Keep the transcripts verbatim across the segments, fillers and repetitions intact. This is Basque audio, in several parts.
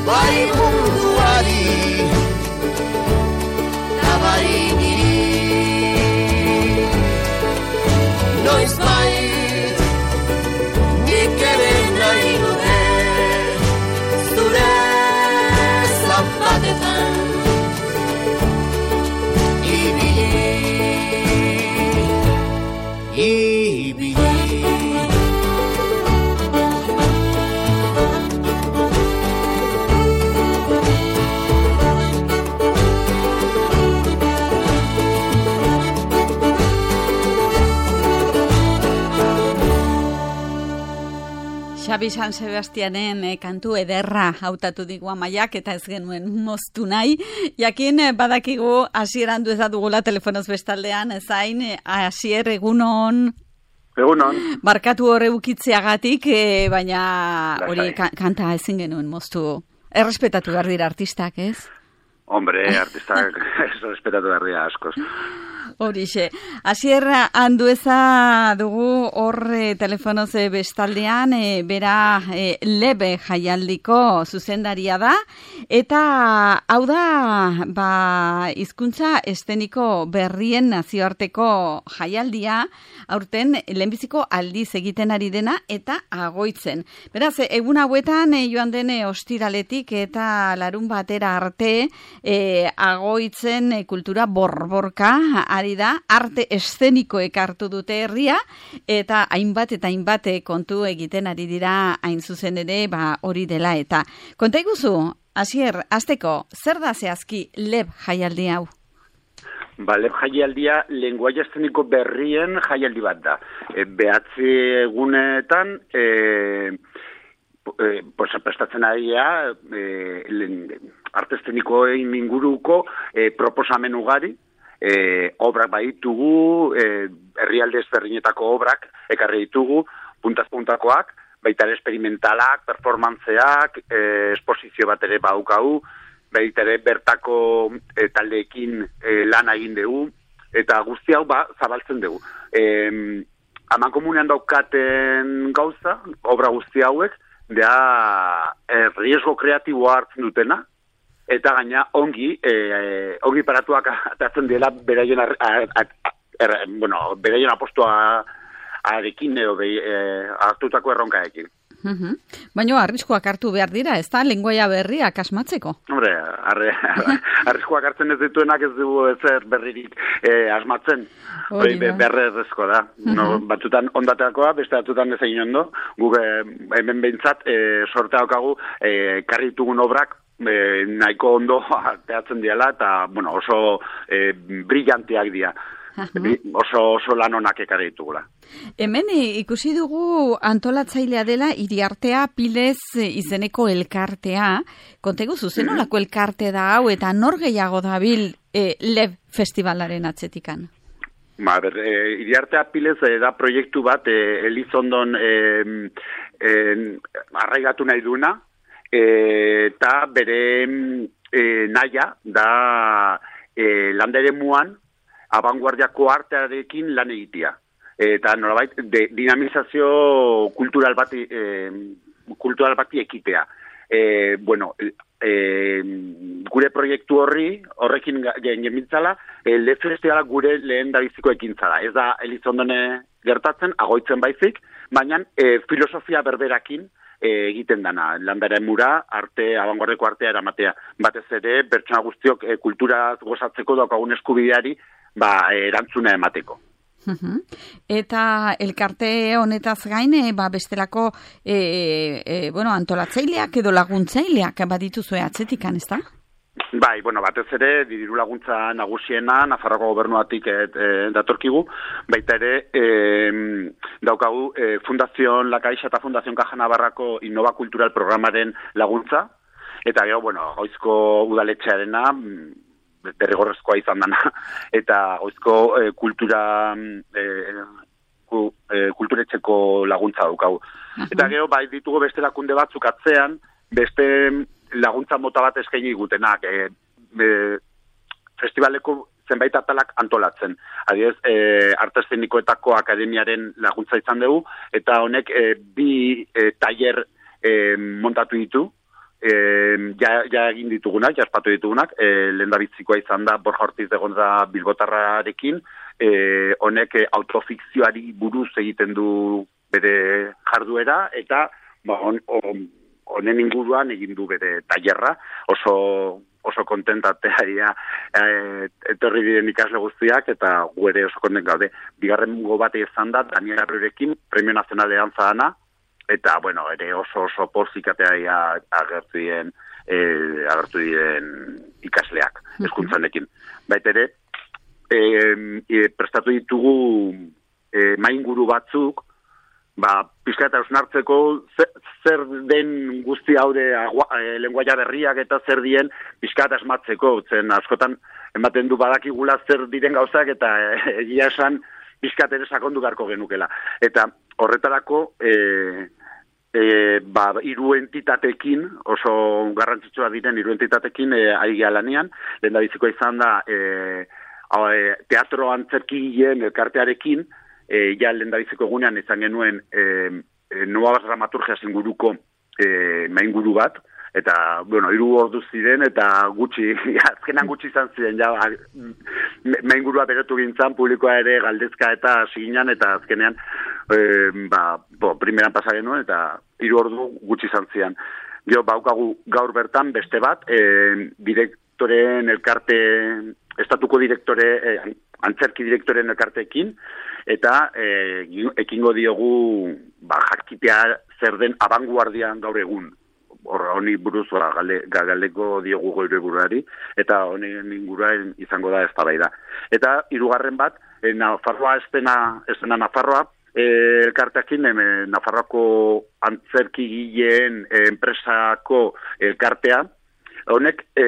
bai munduari, bai niri. Noiz bait, nik ere nahi nuke, zure zapatetan ibili, ibili. Xabi San Sebastianen eh, kantu ederra hautatu digu Amaiak eta ez genuen moztu nahi. Jakin eh, badakigu hasieran du ez dugula telefonoz bestaldean, zain eh, hasier egunon. Egunon. Barkatu hor eukitzeagatik, eh, baina hori ka- kanta ezin genuen moztu. Errespetatu behar dira artistak, ez? Hombre, artistak errespetatu behar dira askoz. Horixe. Hasier Andueza dugu hor e, telefonoz e, bestaldean, e, bera e, lebe jaialdiko zuzendaria da, eta hau da, ba, hizkuntza eszeniko berrien nazioarteko jaialdia, aurten lehenbiziko aldiz egiten ari dena, eta agoitzen. Beraz, egun hauetan e, joan dene ostiraletik eta larun batera arte, e, agoitzen e, kultura borborka, ari da, arte eszenikoek hartu dute herria, eta hainbat eta hainbat kontu egiten ari dira hain zuzen ere, ba hori dela eta. Konta iguzu, Hasier, hasteko, zer da zehazki leb jaialdi hau? Ba, leb jaialdia lenguaia eszeniko berrien jaialdi bat da. E, behatzi egunetan, e, e, pues, prestatzen ari e, arte eszenikoen inguruko e, proposamen ugari, E, obrak baditugu, e, herrialde ezberdinetako obrak ekarri ditugu, puntaz-puntakoak, baita ere esperimentalak, performantzeak, e, esposizio bat ere baukau, baita ere bertako e, taldeekin e, lan egin dugu, eta guzti hau ba, zabaltzen dugu. E, Aman komunean daukaten gauza, obra guzti hauek, da e, riesgo kreatiboa hartzen dutena, eta gaina ongi, e, ongi paratuak atatzen dela beraien ar, ar, ar, ar, bueno, beraien apostoa arekin edo be, e, hartutako erronkaekin. Uh-huh. Baina arriskoak hartu behar dira, ez da, lenguaia berriak asmatzeko? Hombre, arre, arriskoak hartzen ez dituenak ez dugu ezer berririk e, asmatzen. Hori be, berrezko da. Uh-huh. No, batzutan ondateakoa, beste batzutan ez egin ondo. Guk e, hemen behintzat e, sortea daukagu e, karritugun obrak E, nahiko ondo teatzen diala eta bueno, oso e, brillanteak dira. Uh-huh. Oso, oso lan honak ekarri ditugula. Hemen ikusi dugu antolatzailea dela Iriartea Pilez izeneko elkartea. Kontegu zuzenolako elkarte da hau eta nor gehiago dabil e, leb festivalaren atzetikan? Ba, ber, e, Iriartea Pilez e, da proiektu bat e, Elizondon e, e, arraigatu nahi duna, eta bere e, naia da e, landere muan abanguardiako artearekin lan egitea. Eta nolabait de, dinamizazio kultural bati, e, kultural bati ekitea. E, bueno, e, gure proiektu horri, horrekin gengintzala, e, leb festivala gure lehen da biziko ekintzala. Ez da Elizondone gertatzen, agoitzen baizik, baina e, filosofia berberakin E, egiten dana, landaren mura, arte, abanguardeko artea eramatea. Batez ere, pertsona guztiok e, kultura gozatzeko daukagun eskubideari ba, erantzuna emateko. Uh-huh. Eta elkarte honetaz gain, e, ba, bestelako e, e, bueno, antolatzaileak edo laguntzaileak badituzue atzetikan, ez da? Bai, bueno, batez ere, diru laguntza nagusiena, Nafarroko gobernuatik et, e, datorkigu, baita ere, e, daukagu e, Fundazion La Caixa eta Fundazion Caja Navarrako Innova Kultural programaren laguntza, eta gero, bueno, goizko udaletxearena, derrigorrezkoa izan dana, eta goizko e, kultura, e, ku, e, kulturetxeko laguntza daukagu. Uh-huh. Eta gero, bai, ditugu beste lakunde batzuk atzean, beste laguntza mota bat eskaini gutenak, e, e, festivaleko zenbait atalak antolatzen. Adibidez, e, arte eszenikoetako akademiaren laguntza izan dugu, eta honek e, bi e, tailer e, montatu ditu, e, ja, ja egin ditugunak, ja espatu ditugunak, e, lehendabizikoa izan da Borja Ortiz de Gonza Bilbotarrarekin, e, honek e, autofikzioari buruz egiten du bere jarduera, eta ba, on, on, honen inguruan egin du bere tailerra, oso oso kontentatea e, etorri diren ikasle guztiak, eta gu ere oso kontent gaude. Bigarren go bat izan da Daniel Arrurekin, Premio Nazional de Danza Ana, eta bueno, ere oso oso porzikatea agertu diren e, agertu diren ikasleak hezkuntzanekin. Baita ere, e, e, prestatu ditugu e, mainguru batzuk, ba, pixka eta ausnartzeko zer, zer den guzti haude e, lenguaia berriak eta zer dien pixka eta asmatzeko, zen askotan ematen du badakigula zer diren gauzak eta egia esan pixka ere sakondu beharko genukela. Eta horretarako e, e, ba, hiru entitatekin, oso garrantzitsua diren hiru entitatekin e, ari gara lanean, lehendabizikoa izan da e, teatro antzerkigileen elkartearekin, E, ja lehendabiziko egunean izan genuen e, e, nuevas dramaturgias inguruko e, mainguru bat, eta, bueno, hiru ordu ziren, eta gutxi, azkenan gutxi izan ziren, ja, maingurua berotu gintzan, publikoa ere galdezka eta siginan, eta azkenean, e, ba, bo, primeran pasa genuen, eta hiru ordu gutxi izan ziren. Gero, baukagu gaur bertan beste bat, e, direktoren elkarte, estatuko direktore, e, antzerki direktoren elkarteekin, eta e, ekingo diogu ba, jakitea zer den abanguardian gaur egun. Horra honi buruz ba, gale, galeko diogu goire buruari, eta honen inguruan izango da eztabaida. Eta hirugarren bat, e, Nafarroa estena, estena Nafarroa, e, elkarteakin, e, Nafarroako antzerkigileen e, enpresako elkartea, honek e,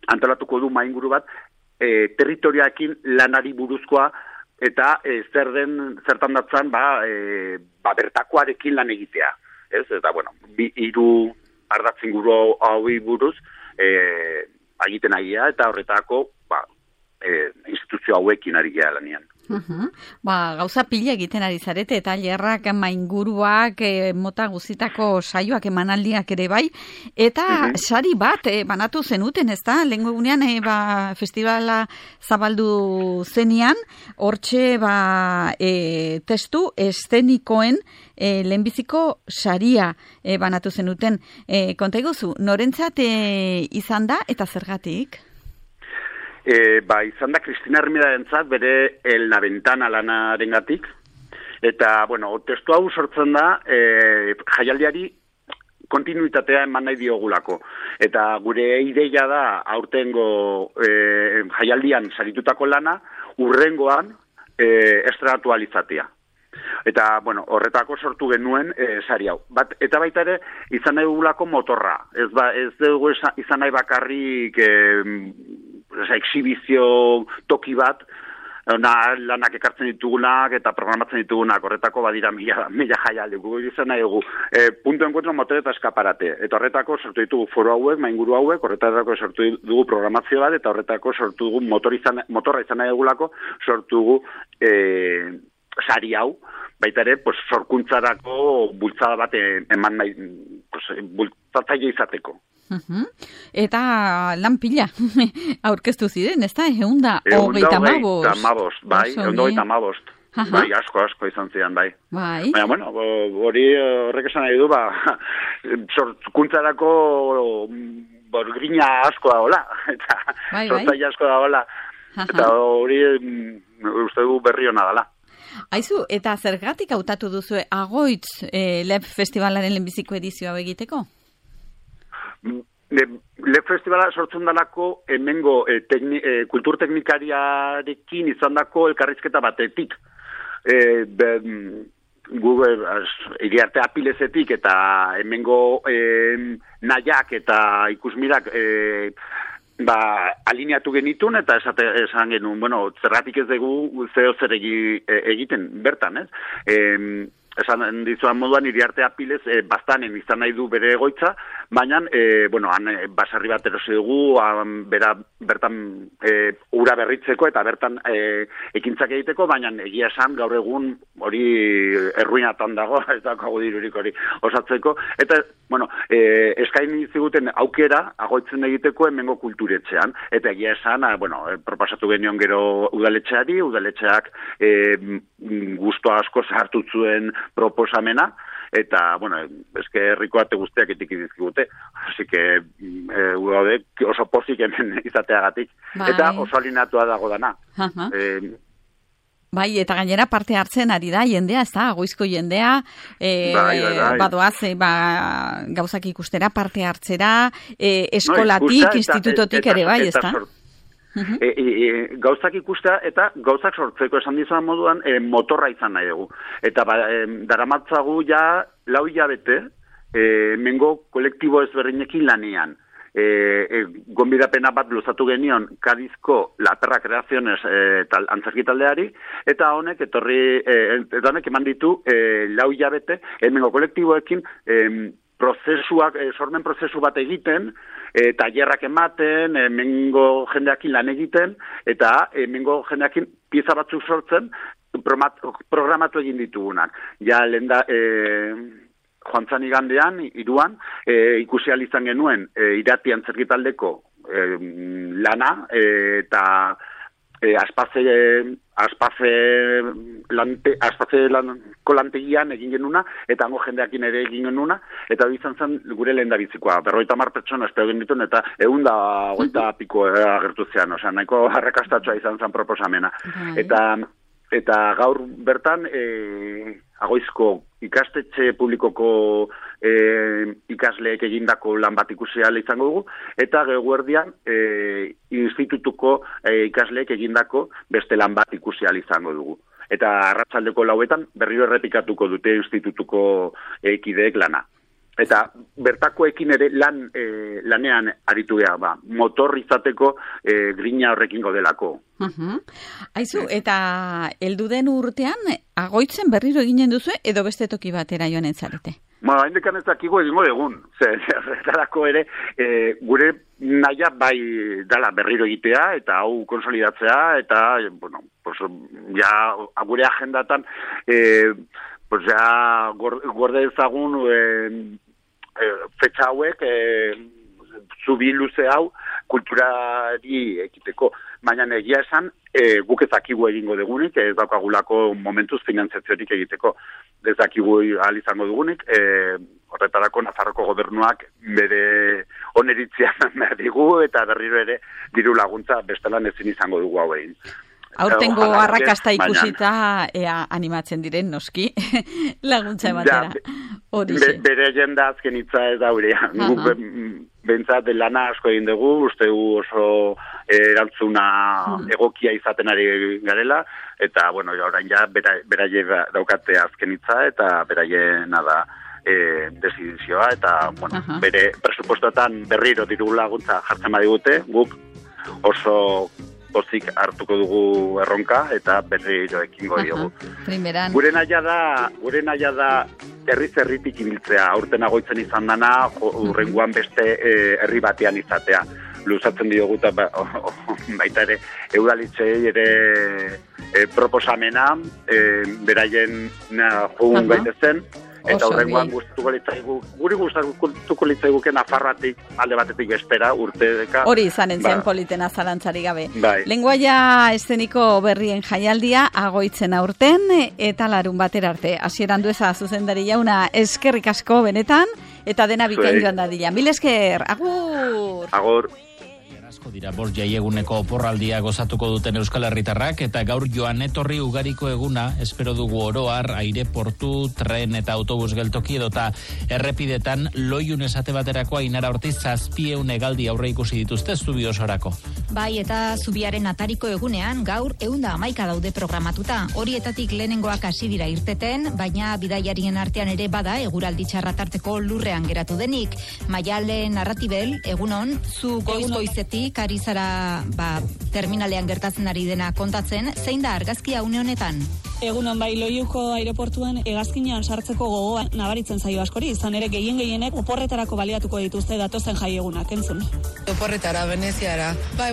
antolatuko du mainguru bat, e, territoriakin lanari buruzkoa, eta e, zer den, zertan datzan, ba, e, ba, bertakoarekin lan egitea. Ez? Eta, bueno, bi, hiru ardatzinguru hauei buruz, e, egiten agia, eta horretako, ba, e, instituzio hauekin ari gea lanian. Uh-huh. Ba, gauza pila egiten ari zarete, eta lerrak, mainguruak, e, mota guzitako saioak emanaldiak ere bai, eta uh-huh. sari bat e, banatu zenuten, ez da? Lehenko egunean, e, ba, festivala zabaldu zenian, hortxe, ba, e, testu estenikoen e, lehenbiziko saria e, banatu zenuten. E, konta iguzu, norentzat e, izan da, eta zergatik? E, ba, izan da Kristina Hermidarentzat bere El la Ventana lanarengatik, eta, bueno, testu hau sortzen da e, jaialdiari kontinuitatea eman nahi diogulako. Eta gure ideia da aurtengo e, jaialdian saritutako lana urrengoan e, estrenatu alizatea. Eta, bueno, horretako sortu genuen e, sari hau. Bat, eta baita ere, izan nahi dugulako motorra. Ez, ba, ez dugu izan nahi bakarrik e, exhibizio toki bat, na, lanak ekartzen ditugunak eta programatzen ditugunak, horretako badira mila, mila jaialdi. Gu izan nahi dugu, e, punto encuentro motor eta eskaparate. Eta horretako sortu ditugu foro hauek, mainguru hauek, horretako sortu dugu programazio bat, eta horretako sortu dugu motor izan, motorra izan nahi dugulako, sortu dugu e, sari hau, baita ere, pues, sorkuntzarako bultzada bat eman nahi, pues, bultzatzaile izateko. Uh-huh. Eta lan pila aurkeztu ziren, ez da? Eunda hogeita amabost. Eunda amabost, bai, eunda hogeita amabost. Bai, asko, asko izan ziren, bai. Bai. Baina, bueno, hori horrek esan nahi du, ba, sorkuntzarako borgrina asko da hola, eta bai, sortzaile asko da hola, eta hori uste du berri hona dela. Aizu, eta zergatik hautatu duzu Agoitz e, Lep Festivalaren lehenbiziko edizioa egiteko? Lep Festivala sortzen dalako hemengo e, tekni, e, kulturteknikariarekin izan dako elkarrizketa batetik. E, be, Google, iriarte apilezetik eta hemengo e, nahiak eta ikusmirak e, ba, alineatu genitun eta esate, esan genuen, bueno, zergatik ez dugu zeo zer egi, e, egiten bertan, ez? E, esan dizuan moduan iriarte apilez e, bastanen izan nahi du bere egoitza, baina, e, bueno, han e, baserri bat erosi dugu, han, bera, bertan e, ura berritzeko eta bertan e, ekintzak egiteko, baina egia esan gaur egun hori erruinatan dago, ez dago dirurik hori osatzeko, eta, bueno, e, eskaini ziguten aukera agoitzen egiteko hemengo kulturetxean, eta egia esan, a, bueno, proposatu genion gero udaletxeari, udaletxeak e, gusto asko sartu zuen proposamena, eta, bueno, eske herriko ate guztiak etiki dizkigute, así que e, gaude oso pozik hemen izateagatik, bai. Eta oso alinatua dago dana. Uh-huh. E, Bai, eta gainera parte hartzen ari da jendea, ez da, goizko jendea, e, bai, bai, bai. badoaz, e, ba, gauzak ikustera, parte hartzera, e, eskolatik, no, institutotik eta, ere bai, ez da? Uh-huh. E, e, gauzak ikustea eta gauzak sortzeko esan dizan moduan e, motorra izan nahi dugu. Eta ba, e, daramatzagu ja lau hilabete e, mengo kolektibo ezberdinekin lanean. E, e, gonbidapena bat luzatu genion Kadizko La Perra Creaciones e, tal, antzerki taldeari, eta honek etorri, e, eta honek eman ditu e, lau hilabete hemengo kolektiboekin e, prozesuak, e, sormen prozesu bat egiten, e, tailerrak ematen, hemengo jendeakin lan egiten, eta hemengo jendeakin pieza batzuk sortzen programatu egin ditugunak. Ja, lenda... E, joan zan igandean, iruan, e, ikusi izan genuen e, irati antzerkitaldeko e, lana, e, eta e, aspaze, aspaze, lante, aspaze lanko lantegian egin genuna, eta hango jendeakin ere egin genuna, eta hori izan zen gure lehen da bizikoa. Berroita mar pertsona espero genituen, eta egun da goita piko agertu zean, osea, nahiko harrekastatxoa izan zen proposamena. Eta, eta gaur bertan, e, Agoizko ikastetxe publikoko e, ikasleek egindako lan bat ikusi ahal izango dugu, eta Geuerdian e, institutuko e, ikasleek egindako beste lan bat ikusi ahal izango dugu. Eta arratsaldeko lauetan berriro errepikatuko dute institutuko e, kideek lana. Eta bertakoekin ere lan e, lanean aritu geha, ba, motor izateko e, grina horrekin godelako. Uh-huh. Aizu, eta heldu den urtean, Agoitzen berriro eginen duzu edo beste toki batera joan entzarete? Ba, haindekan ez dakigu egingo egun. Zertarako ere, e, gure naia bai dala berriro egitea, eta hau konsolidatzea, eta, bueno, pues, ja, gure agendatan, e, pues, ja, gorde ezagun, e, e, fetxa hauek, e, zubi luze hau, kulturari ekiteko. Baina egia esan, e, guk ez dakigu egingo dugunik, ez daukagulako momentuz finanziaziorik egiteko. Ez dakigu ahal izango dugunik, e, horretarako Nafarroko gobernuak bere oneritzia behar digu, eta berriro ere diru laguntza bestelan ezin izango dugu hau egin. Aurtengo arrakasta ikusita ea animatzen diren noski laguntza ematera. Be, bere jenda azken hitza ez daurea. Guk bentsat lana asko egin dugu, uste oso erantzuna egokia izaten ari garela, eta bueno, orain ja beraie daukate azken hitza eta beraiena da e, desidizioa, eta bueno, uh-huh. bere presupuestoetan berriro diru laguntza jartzen badigute, guk oso pozik hartuko dugu erronka eta berriro ekingo diogu. Primeran. Gure naia da, gure naia da herri zerritik ibiltzea, aurten Agoitzen izan dana, urrengoan beste e, herri batean izatea. Luzatzen diogu eta ba, oh, oh, baita ere eudalitzei ere e, proposamena, e, beraien jogun gaitezen, eta horrengoan gustatuko litzaigu, guri gustatuko litzaiguken Nafarroatik alde batetik bestera urteka. Hori izanen zen ba. Politena zalantzari gabe. Bai. Lengoaia eszeniko berrien jaialdia Agoitzen aurten eta larun batera arte. Hasieran dueza zuzendari jauna eskerrik asko benetan eta dena bikain joan dadila. Mil esker, agur! Agur! Asko dira bost jaieguneko oporraldia gozatuko duten Euskal Herritarrak eta gaur joan etorri ugariko eguna espero dugu oroar aireportu, tren eta autobus geltoki edota errepidetan loiun esate baterako Ainara Ortiz zazpieun hegaldi aurre ikusi dituzte zubi osorako. Bai, eta zubiaren atariko egunean gaur ehunda hamaika daude programatuta. Horietatik lehenengoak hasi dira irteten, baina bidaiarien artean ere bada eguraldi txarra tarteko lurrean geratu denik. Maiale Narratibel, egunon, zu goiz-goizetik ari zara ba, terminalean gertatzen ari dena kontatzen, zein da argazkia une honetan? Egunon bai, Loiuko aireportuan hegazkinean sartzeko gogoa nabaritzen zaio askori, izan ere gehien gehienek oporretarako baliatuko dituzte datozen jaiegunak, entzun. Oporretara, Veneziara. Bai,